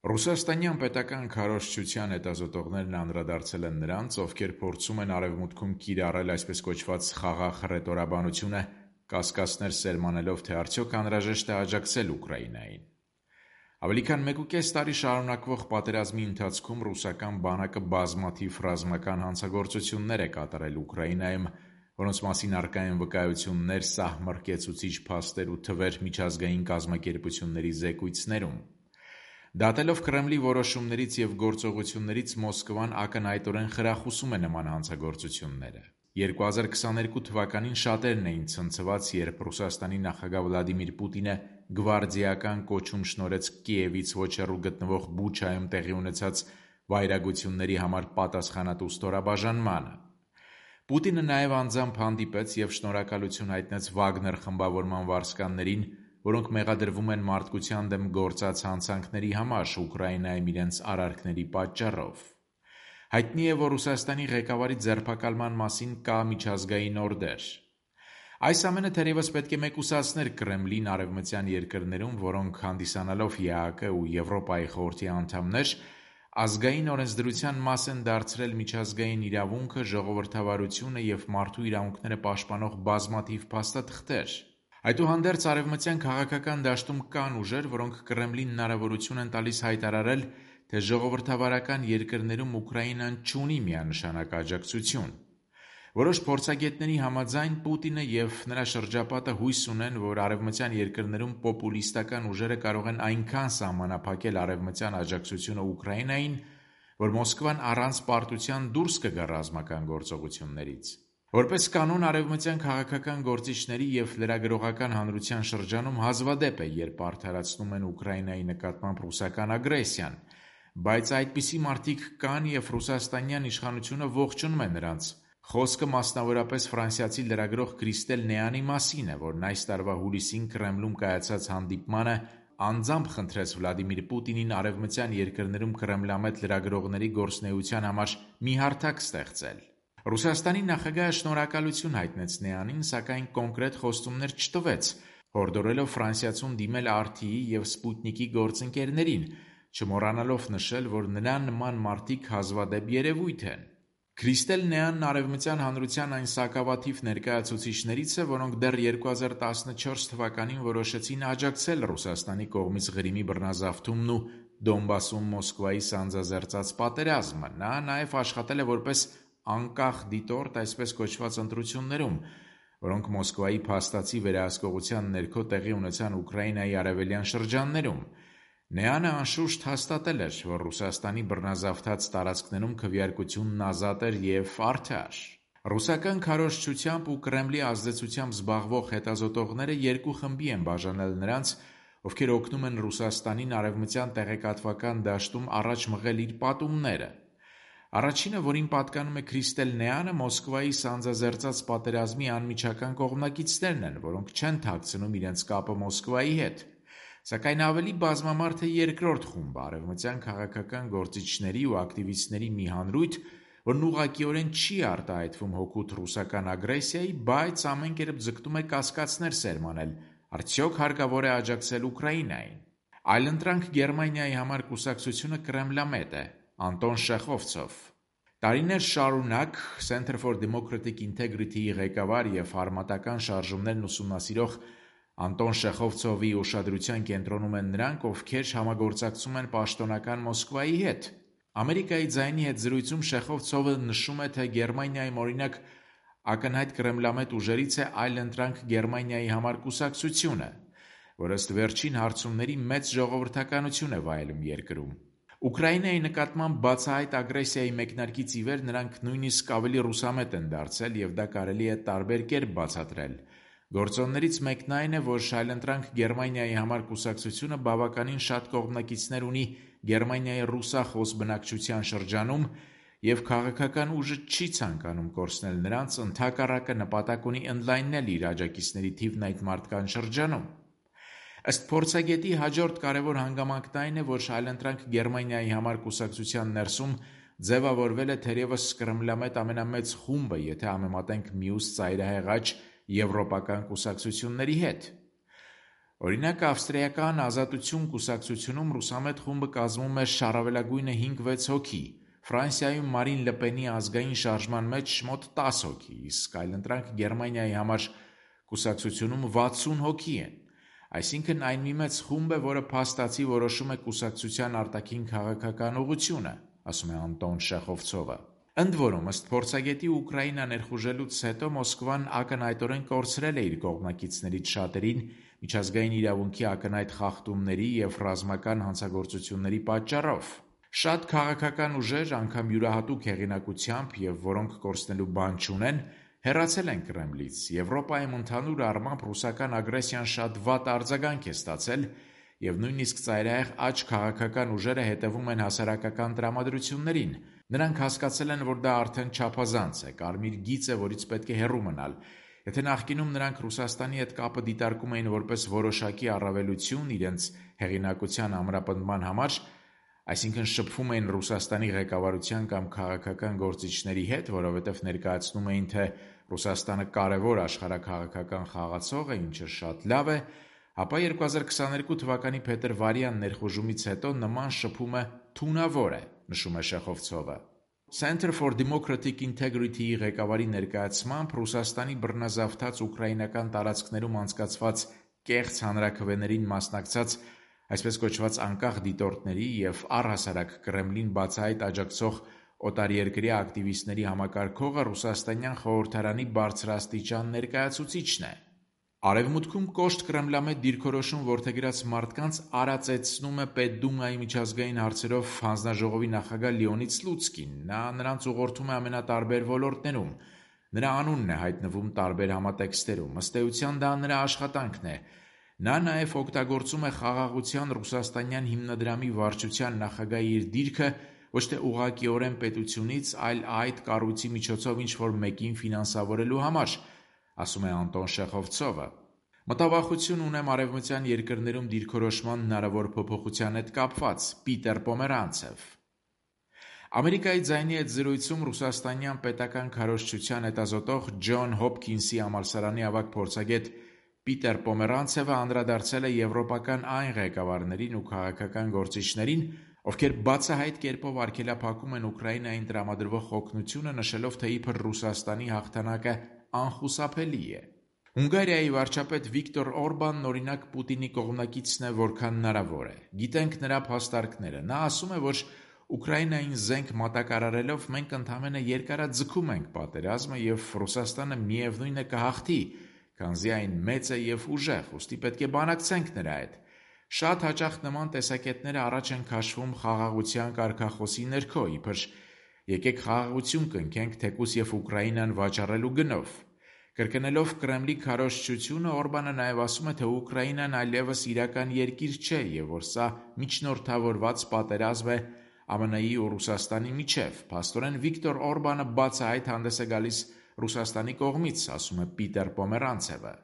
Ռուսաստանյան պետական քարոզչության հետազոտողներն անդրադարձել են նրանց, ովքեր փորձում են Արևմուտքում կիրառել այսպես կոչված խաղաղ հռետորաբանությունը, կասկածներ սերմանելով, թե արդյոք անհրաժեշտ է աջակցել Ուկրաինային։ Ավելի քան 1.5 տարի շարունակվող պատերազմի ընթացքում ռուսական բանակը բազմաթիվ ռազմական հանցագործություններ է կատարել Ուկրաինայում, որոնց մասին առկա են վկայություններ, սահմռկեցուցիչ փաստեր ու թվեր միջազգային կազմակերպությունների զեկույցներում։ Դատելով Կրեմլի որոշումներից և գործողություններից Մոսկվան ակնհայտորեն խրախուսում է նման հանցագործությունները։ 2022 թվականին շատերն էին ցնցված, երբ Ռուսաստանի նախագահ Վլադիմիր Պուտինը գվարդիական կոչում շնորհեց Կիևից ոչ հեռու գտնվող Բուչայում տեղի ունեցած վայրագությունների համար պատասխանատու ստորաբաժանմանը։ Պուտինը նաև անձամբ հանդիպեց և շնորհակալություն հայտնեց Վագներ խմբավորման վարձկաններին, որոնք մեղադրվում են մարդկության դեմ գործած հանցանքների համար Ուկրաինայում իրենց արարքների պատճառով։ Հայտնի է, որ Ռուսաստանի ղեկավարի ձերբակալման մասին կա միջազգային օրդեր։ Այս ամենը թերևս պետք է մեկուսացներ Կրեմլին արևմտյան երկրներում, որոնք հանդիսանալով ԵԱՀԿ ու Եվրոպայի խորհրդի անդամներ, ազգային օրենսդրության մաս են դարձրել միջազգային իրավունքը, ժողովրդավարությունը և մարդու իրավունքները պաշտպանող բազմաթիվ փաստաթղթեր։ Այդուհանդերձ արևմտյան քաղաքական դաշտում կան ուժեր, որոնք Կրեմլին հնարավորություն են տալիս հայտարարել, թե ժողովրդավարական երկրներում Ուկրաինան չունի միանշանակ աջակցություն։ Որոշ փորձագետների համաձայն Պուտինը և նրա շրջապատը հույս ունեն, որ արևմտյան երկրներում պոպուլիստական ուժերը կարող են այնքան սահմանափակել արևմտյան աջակցությունը Ուկրաինային, որ Մոսկվան առանց պարտության դուրս կգա ռազմական գործողություններից։ Որպես կանոն, արևմտյան քաղաքական գործիչների և լրագրողական հանրության շրջանում հազվադեպ է, երբ արդարացնում են Ուկրաինայի նկատմամբ ռուսական ագրեսիան, բայց այդպիսի մարդիկ կան և ռուսաստանյան իշխանությունը ողջունում է նրանց։ Խոսքը մասնավորապես ֆրանսիացի լրագրող Քրիստել Նեանի մասին է, որն այս տարվա հուլիսին Կրեմլում կայացած հանդիպմանը անձամբ խնդրեց Վլադիմիր Պուտինին արևմտյան երկրներում կրեմլամետ լրագրողների գործունեության համար մի հարթակ ստեղծել։ Ռուսաստանի նախագահը շնորհակալություն հայտնեց Նեանին, սակայն կոնկրետ խոստումներ չտվեց, հորդորելով ֆրանսիացուն դիմել RT-ի և Սպուտնիկի գործընկերներին, չմոռանալով նշել, որ նրան նման մարդիկ հազվադեպ երևույթ են։ Քրիստել Նեանն արևմտյան հանրության այն սակավաթիվ ներկայացուցիչներից է, որոնք դեռ 2014 թվականին որոշեցին աջակցել Ռուսաստանի կողմից Ղրիմի բռնազավթումն ու Դոնբասում Մոսկվայի սանձազերծած պատերազմը։ Նա նաև աշխատել է որպես անկախ դիտորդ այսպես կոչված ընտրություններում, որոնք Մոսկվայի փաստացի վերահսկողության ներքո տեղի ունեցան Ուկրաինայի արևելյան շրջաններում։ Նեանը անշուշտ հաստատել էր, որ Ռուսաստանի բռնազավթած տարածքներում քվեարկությունն ազատ էր և արդար։ Ռուսական քարոզչությամբ ու Կրեմլի ազդեցությամբ զբաղվող հետազոտողները երկու խմբի են բաժանել նրանց, ովքեր օգնում են Ռուսաստանին արևմտյան տեղեկատվական դաշտում առաջ մղել իր պատումները։ Առաջինը, որին պատկանում է Քրիստել Նեանը, Մոսկվայի սանձազերծած պատերազմի անմիջական կողմնակիցներն են, որոնք չեն թաքցնում իրենց կապը Մոսկվայի հետ։ Սակայն ավելի բազմամարդ է երկրորդ խումբը, արևմտյան քաղաքական գործիչների ու ակտիվիստների մի հանրույթ, որն ուղղակիորեն չի արտահայտվում հօգուտ ռուսական ագրեսիայի, բայց ամեն կերպ ձգտում է կասկածներ սերմանել, արդյոք հարկավոր է աջակցել Ուկրաինային։ Այլընտրանք Գերմանիայի համար կուսակցությունը կրեմլամետ է, Անտոն Շեխովցով։ Տարիներ շարունակ Center for Democratic Integrity-ի ղեկավար և հարմատական շարժումներն ուսումնասիրող Անտոն Շեխովցովի ուշադրության կենտրոնում են նրանք, ովքեր համագործակցում են պաշտոնական Մոսկվայի հետ։ Ամերիկայի ձայնի հետ զրույցում Շեխովցովը նշում է, թե Գերմանիայում օրինակ ակնհայտ կրեմլամետ ուժերից է Այլընտրանք Գերմանիայի համար կուսակցությունը, որ ըստ վերջին հարցումների մեծ ժողովրդականություն է վայելում երկրում։ Ուկրաինայի նկատմամբ բացահայտ ագրեսիայի մեկնարկից ի վեր նրանք նույնիսկ ավելի ռուսամետ են դարձել և դա կարելի է տարբեր կերպ բացատրել։ Գործոններից մեկն այն է, որ Այլընտրանք Գերմանիայի համար կուսակցությունը բավականին շատ կողմնակիցներ ունի Գերմանիայի ռուսախոս բնակչության շրջանում և քաղաքական ուժը չի ցանկանում կորցնել նրանց, ընդհակառակը նպատակ ունի ընդլայնել իր աջակիցների թիվն այդ մարդկանց շրջանում։ Ըստ փորձագետի հաջորդ կարևոր հանգամանքն այն է, որ Այլընտրանք Գերմանիայի համար կուսակցության ներսում ձևավորվել է թերևս կրեմլամետ ամենամեծ խումբը, եթե համեմատենք մյուս ծայրահեղաճ եվրոպական կուսակցությունների հետ։ Օրինակ, ավստրիական Ազատություն կուսակցությունում ռուսամետ խումբը կազմում է շառավելագույնը 5-6 հոգի, Ֆրանսիայում Մարին Լպենի ազգային շարժման մեջ մոտ 10 հոգի, իսկ այլընտրանք Գերմանիայի համար կուսակցությունում 60 հոգի են։ Այսինքն այն մի մեծ խումբ է, որը փաստացի որոշում է կուսակցության արտաքին քաղաքական ուղղությունը, ասում է Անտոն Շեխովցովը։ Ընդ որում, ըստ փորձագետի, Ուկրաինա ներխուժելուց հետո Մոսկվան ակնհայտորեն կորցրել է իր կողմնակիցներից շատերին միջազգային իրավունքի ակնհայտ խախտումների և ռազմական հանցագործությունների պատճառով։ Շատ քաղաքական ուժեր, անգամ յուրահատուկ հեղինակությամբ և որոնք կորցնելու բան չունեն, հեռացել են Կրեմլից։ Եվրոպայում ընդհանուր առմամբ ռուսական ագրեսիան շատ վատ արձագանք է ստացել, և նույնիսկ ծայրահեղ աջ քաղաքական ուժերը հետևում են հասարակական տրամադրություններին։ Նրանք հասկացել են, որ դա արդեն չափազանց է, կարմիր գիծ է, որից պետք է հեռու մնալ։ Եթե նախկինում նրանք Ռուսաստանի հետ կապը դիտարկում էին որպես որոշակի առավելություն իրենց հեղինակության ամրապնդման համար, այսինքն շփվում էին Ռուսաստանի ղեկավարության կամ քաղաքական գործիչների հետ, որովհետև ներկայացնում էին, թե Ռուսաստանը կարևոր աշխարհաքաղաքական խաղացող է, ինչը շատ լավ է, ապա 2022 թվականի փետրվարյան ներխուժումից հետո նման շփումը թունավոր է, նշում է Շեխովցովը։ Center for Democratic Integrity-ի ղեկավարի ներկայացմամբ Ռուսաստանի բռնազավթած ուկրաինական տարածքներում անցկացված կեղծ հանրաքվեներին մասնակցած այսպես կոչված անկախ դիտորդների և առհասարակ Կրեմլին բացահայտ աջակցող օտարերկրյա ակտիվիստների համակարգողը Ռուսաստանյան խորհրդարանի բարձրաստիճան ներկայացուցիչն է։ Արևմուտքում կոշտ կրեմլամետ դիրքորոշում որդեգրած մարդկանց արածեցնում է Պետդումայի միջազգային հարցերով հանձնաժողովի նախագահ Լեոնիդ Սլուցկին։ Նա նրանց ուղղորդում է ամենատարբեր ոլորտներում։ Նրա անունն է հայտնվում տարբեր համատեքստերում։ Ըստ էության դա նրա աշխատանքն է։ Նա նաև օգտագործում է խաղաղության ռուսաստանյան հիմնադրամի վարչության նախագահի իր դիրքը ոչ թե ուղղակիորեն պետությունից, այլ այդ կառույցի միջոցով ինչ-որ մեկին ֆինանսավորելու համար, ասում է Անտոն Շեխովցովը։ Մտավախություն ունեմ արևմտյան երկրներում դիրքորոշման հնարավոր փոփոխության հետ կապված, Պիտեր Պոմերանցև։ Ամերիկայի ձայնի հետ զրույցում ռուսաստանյան պետական քարոզչության հետազոտող Ջոն Հոփքինսի համալսարանի ավագ փորձագետ Պիտեր Պոմերանցևը անդրադարձել է եվրոպական այն ղեկավարներին ու քաղաքական գործիչներին, ովքեր բացահայտ կերպով արգելափակում են Ուկրաինային տրամադրվող օգնությունը, նշելով, թե իբր Ռուսաստանի հաղթանակը անխուսափելի է։ Հունգարիայի վարչապետ Վիկտոր Օրբանն օրինակ Պուտինի կողմնակիցն է որքան հնարավոր է։ Գիտենք նրա փաստարկները։ Նա ասում է, որ Ուկրաինային զենք մատակարարելով մենք ընդամենը երկարաձգում ենք պատերազմը և Ռուսաստանը միևնույն է կհաղթի, քանզի այն մեծ է և ուժեղ, ուստի պետք է բանակցենք նրա հետ։ Շատ հաճախ նման տեսակետները առաջ են քաշվում խաղաղության կարգախոսի ներքո, իբր եկեք խաղաղություն կնքենք, թեկուզ և Ուկրաինան վաճառելու գնով։ Կրկնելով Կրեմլի քարոզչությունը, Օրբանը նաև ասում է, թե Ուկրաինան այլևս իրական երկիր չէ և որ սա միջնորդավորված պատերազմ է ԱՄՆ-ի ու Ռուսաստանի միջև։ Փաստորեն Վիկտոր Օրբանը բացահայտ հանդես է գալիս Ռուսաստանի կողմից, ասում է Պիտեր Պոմերանցևը։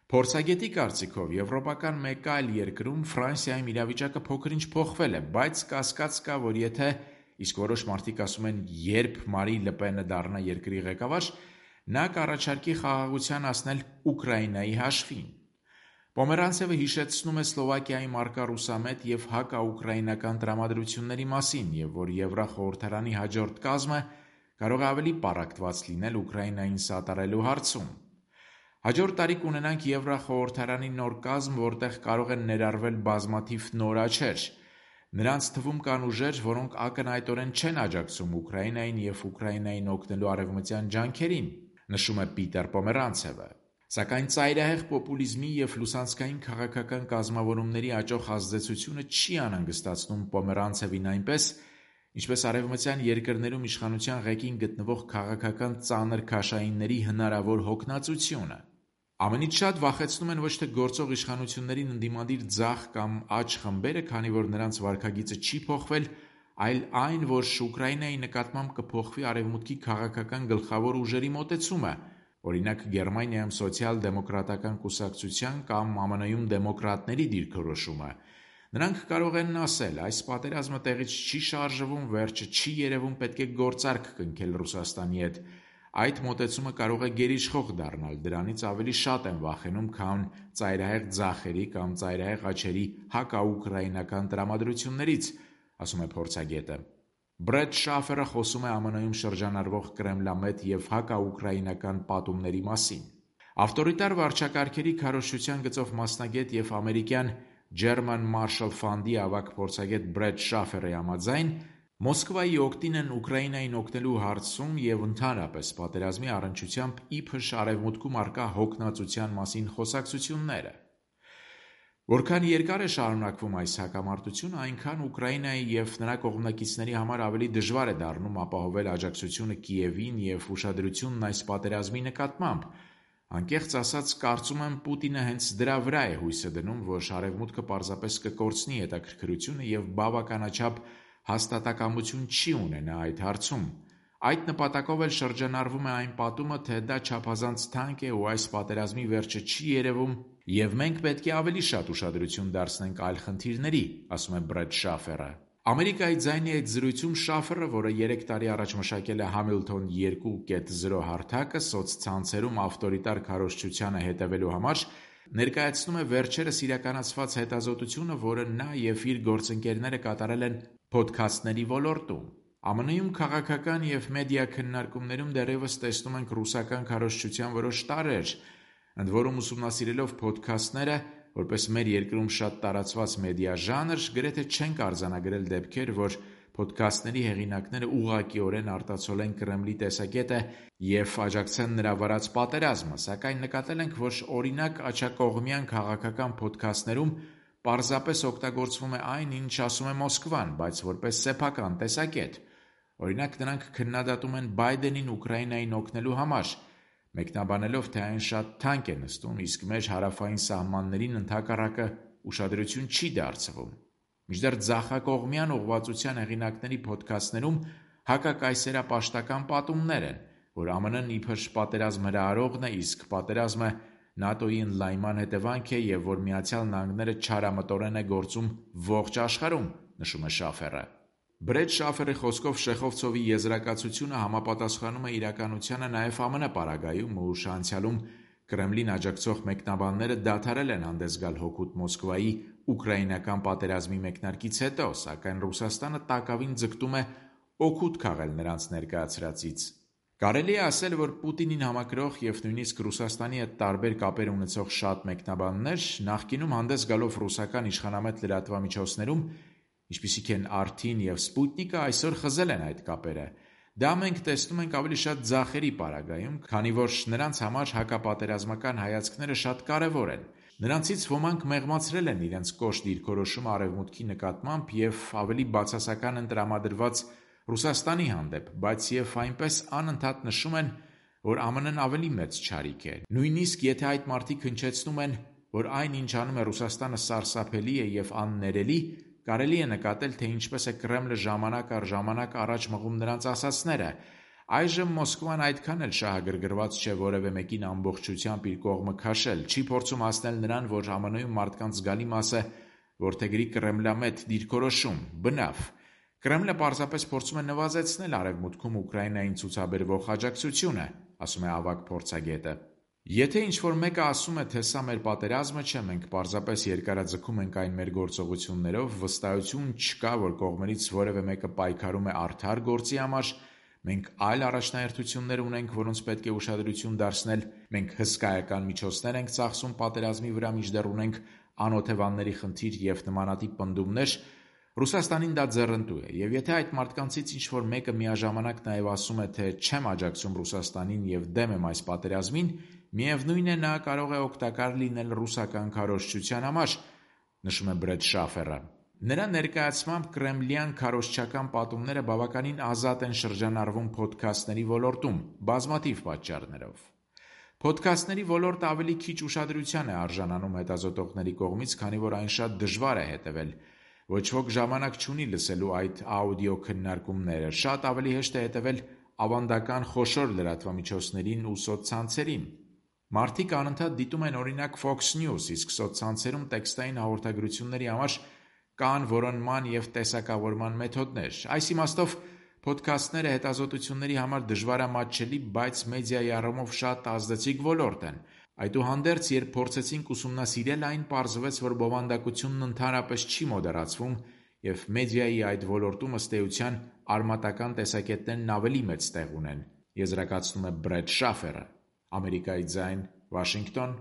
Փորձագետի կարծիքով եվրոպական մեկ այլ երկրում Ֆրանսիայում իրավիճակը փոքր-ինչ փոխվել է, բայց կասկած կա, որ եթե, իսկ որոշ մարդիկ ասում են, երբ Մարին Լպենը դառնա երկրի ղեկավար, նա կառաջարկի խաղաղության հասնել Ուկրաինայի հաշվին։ Պոմերանցևը հիշեցնում է Սլովակիայի մարկա ռուսամետ և հակաուկրաինական տրամադրությունների մասին և որ Եվրախորհրդարանի հաջորդ կազմը կարող է ավելի պառակտված լինել Ուկրաինային սատարելու հարցում։ Հաջորդ տարի կունենանք Եվրախորհրդարանի նոր կազմ, որտեղ կարող են ներառվել բազմաթիվ նոր աչեր։ Նրանց թվում կան ուժեր, որոնք ակնհայտորեն չեն աջակցում Ուկրաինային և Ուկրաինային օգնելու արևմտյան ջանքերին, նշում է Պիտեր Պոմերանցևը։ Սակայն ծայրահեղ պոպուլիզմի և լուսանցքային քաղաքական կազմավորումների աճող ազդեցությունը չի անհանգստացնում Պոմերանցևին այնպես, ինչպես արևմտյան երկրներում իշխանության ղեկին գտնվող քաղաքական ծանր քաշայինների հնարավոր հոգնածությունը։ Ամենից շատ վախեցնում են ոչ թե գործող իշխանություններին ընդդիմադիր ձախ կամ աջ խմբերը, քանի որ նրանց վարքագիծը չի փոխվել, այլ այն, որ Ուկրաինայի նկատմամբ կփոխվի արևմուտքի քաղաքական գլխավոր ուժերի մոտեցումը, օրինակ Գերմանիայում սոցիալ-դեմոկրատական կուսակցության կամ ԱՄՆ-ում դեմոկրատների դիրքորոշումը։ Նրանք կարող են ասել, այս պատերազմը տեղից չի շարժվում, վերջը չի երևում, պետք է գործարք կնքել Ռուսաստանի հետ, Այդ մոտեցումը կարող է գերիշխող դառնալ, դրանից ավելի շատ են վախենում, քան ծայրահեղ ձախերի կամ ծայրահեղ աջերի հակաուկրաինական տրամադրություններից, ասում է փորձագետը։ Բրեդ Շաֆերը խոսում է ԱՄՆ-ում շրջանառվող կրեմլամետ և հակաուկրաինական պատումների մասին։ Ավտորիտար վարչակարգերի քարոզչության գծով մասնագետ և ամերիկյան German Marshall Fund-ի ավագ փորձագետ Բրեդ Շաֆերի համաձայն, Մոսկվայի օգտին են Ուկրաինային օգնելու հարցում և ընդհանրապես պատերազմի առնչությամբ իբր Արևմուտքում առկա հոգնածության մասին խոսակցությունները։ Որքան երկար է շարունակվում այս հակամարտությունը, այնքան Ուկրաինայի և նրա կողմնակիցների համար ավելի դժվար է դառնում ապահովել աջակցությունը Կիևին և ուշադրությունն այս պատերազմի նկատմամբ։ Անկեղծ ասած, կարծում եմ, Պուտինը հենց դրա վրա է հույսը դնում, որ Արևմուտքը պարզապես կկորցնի հետաքրքրությունը և բավականաչափ հաստատակամություն չի ունենա այդ հարցում։ Այդ նպատակով էլ շրջանառվում է այն պատումը, թե դա չափազանց թանկ է ու այս պատերազմի վերջը չի երևում, և մենք պետք է ավելի շատ ուշադրություն դարձնենք այլ խնդիրների, ասում է Բրեդ Շաֆերը։ Ամերիկայի ձայնի այդ զրույցում Շաֆերը, որը 3 տարի առաջ մշակել է Hamilton 2.0 հարթակը սոցցանցերում ավտորիտար քարոզչությանը հետևելու համար, ներկայացնում է վերջերս իրականացված հետազոտությունը, որը նա և իր գործընկերները կատարել են փոդքասթների ոլորտում։ ԱՄՆ-ում քաղաքական և մեդիա քննարկումներում դեռևս տեսնում ենք ռուսական քարոզչության որոշ տարրեր, ընդ որում ուսումնասիրելով փոդքասթները, որպես մեր երկրում շատ տարածված մեդիա ժանր, գրեթե չենք արձանագրել դեպքեր, որ փոդքասթների հեղինակները ուղղակիորեն արտացոլեն Կրեմլի տեսակետը և աջակցեն նրա վարած պատերազմը, սակայն նկատել ենք, որ օրինակ աջակողմյան քաղաքական փոդքասթներում պարզապես օգտագործվում է այն, ինչ ասում է Մոսկվան, բայց որպես սեփական տեսակետ։ Օրինակ, նրանք քննադատում են Բայդենին Ուկրաինային օգնելու համար, մեկնաբանելով, թե այն շատ թանկ է նստում, իսկ մեր հարավային սահմաններին ընդհակառակը ուշադրություն չի դարձվում։ Մինչդեռ ձախակողմյան ուղղվածության հեղինակների փոդքասթներում հակակայսերապաշտական պատումներ են, որ ԱՄՆ-ն իբր պատերազմ հրահրողն է, իսկ պատերազմը ՆԱՏՕ-ի ընդլայնման հետևանք է և որ Միացյալ Նահանգները չարամտորեն է գործում ողջ աշխարհում, նշում է Շաֆերը։ Բրեդ Շաֆերի խոսքով Շեխովցովի եզրակացությունը համապատասխանում է իրականությանը նաև ԱՄՆ պարագայում, ուշ անցյալում Կրեմլին աջակցող մեկնաբանները դադարել են հանդես գալ հօգուտ Մոսկվայի ուկրաինական պատերազմի մեկնարկից հետո, սակայն Ռուսաստանը տակավին ձգտում է օգուտ քաղել նրանց ներկայացրածից։ Կարելի է ասել, որ Պուտինին համակրող և նույնիսկ Ռուսաստանի հետ տարբեր կապեր ունեցող շատ մեկնաբաններ նախկինում հանդես գալով ռուսական իշխանամետ լրատվամիջոցներում, ինչպիսիք են RT-ն և Sputnik-ը, այսօր խզել են այդ կապերը։ Դա մենք տեսնում ենք ավելի շատ ձախերի պարագայում, քանի որ նրանց համար հակապատերազմական հայացքները շատ կարևոր են։ Նրանցից ոմանք մեղմացրել են իրենց կոշտ դիրքորոշումը Արևմուտքի նկատմամբ և ավելի բացասական են տրամադրված Ռուսաստանի հանդեպ, բայց և այնպես անընդհատ նշում են, որ ԱՄՆ-ն ավելի մեծ չարիք է։ Նույնիսկ եթե այդ մարդիկ հնչեցնում են, որ այն, ինչ անում է Ռուսաստանը, սարսափելի է և աններելի, կարելի է նկատել, թե ինչպես է Կրեմլը ժամանակ առ ժամանակ առաջ մղում նրանց ասածները։ Այժմ Մոսկվան այդքան էլ շահագրգռված չէ որևէ մեկին ամբողջությամբ իր կողմը քաշել, չի փորձում հասնել նրան, որ ԱՄՆ-ում մարդկանց զգալի մասը որդեգրի կրեմլամետ դիրքորոշում, բնավ։ Կրեմլը պարզապես փորձում է նվազեցնել Արևմուտքում Ուկրաինային ցուցաբերվող աջակցությունը, ասում է ավագ փորձագետը։ Եթե ինչ-որ մեկը ասում է, թե սա մեր պատերազմը չէ, մենք պարզապես երկարաձգում ենք այն մեր գործողություններով, վստահություն չկա, որ կողմերից որևէ մեկը պայքարում է արդար գործի համար, մենք այլ առաջնահերթություններ ունենք, որոնց պետք է ուշադրություն դարձնել, մենք հսկայական միջոցներ ենք ծախսում պատերազմի վրա, մինչդեռ ունենք անօթևանների խնդիր և նմանատիպ պնդումներ, Ռուսաստանին դա ձեռնտու է, և եթե այդ մարդկանցից ինչ-որ մեկը միաժամանակ նաև ասում է, թե չեմ աջակցում Ռուսաստանին և դեմ եմ այս պատերազմին, միևնույն է, նա կարող է օգտակար լինել ռուսական քարոզչության համար, նշում է Բրեդ Շաֆերը։ Նրա ներկայացմամբ կրեմլյան քարոզչական պատումները բավականին ազատ են շրջանառվում փոդքասթների ոլորտում, բազմաթիվ պատճառներով։ Փոդքասթների ոլորտը ավելի քիչ ուշադրության է արժանանում հետազոտողների կողմից, քանի որ այն շատ դժվար է հետևել։ Ոչ ոք ժամանակ չունի լսելու այդ աուդիո քննարկումները, շատ ավելի հեշտ է հետևել ավանդական խոշոր լրատվամիջոցներին ու սոցցանցերին։ Մարդիկ անընդհատ դիտում են օրինակ Fox News, իսկ սոցցանցերում տեքստային հաղորդագրությունների համար կան որոնման և տեսակավորման մեթոդներ։ Այս իմաստով Փոդքասթները հետազոտությունների համար դժվարամատչելի, բայց մեդիայի առումով շատ ազդեցիկ ոլորտ են։ Այդուհանդերձ, երբ փորձեցինք ուսումնասիրել այն, պարզվեց, որ բովանդակությունն ընդհանրապես չի մոդերացվում, և մեդիայի այդ ոլորտում, ըստ էության, արմատական տեսակետներն ավելի մեծ տեղ ունեն, եզրակացնում է Բրեդ Շաֆերը։ Ամերիկայի ձայն, Վաշինգտոն,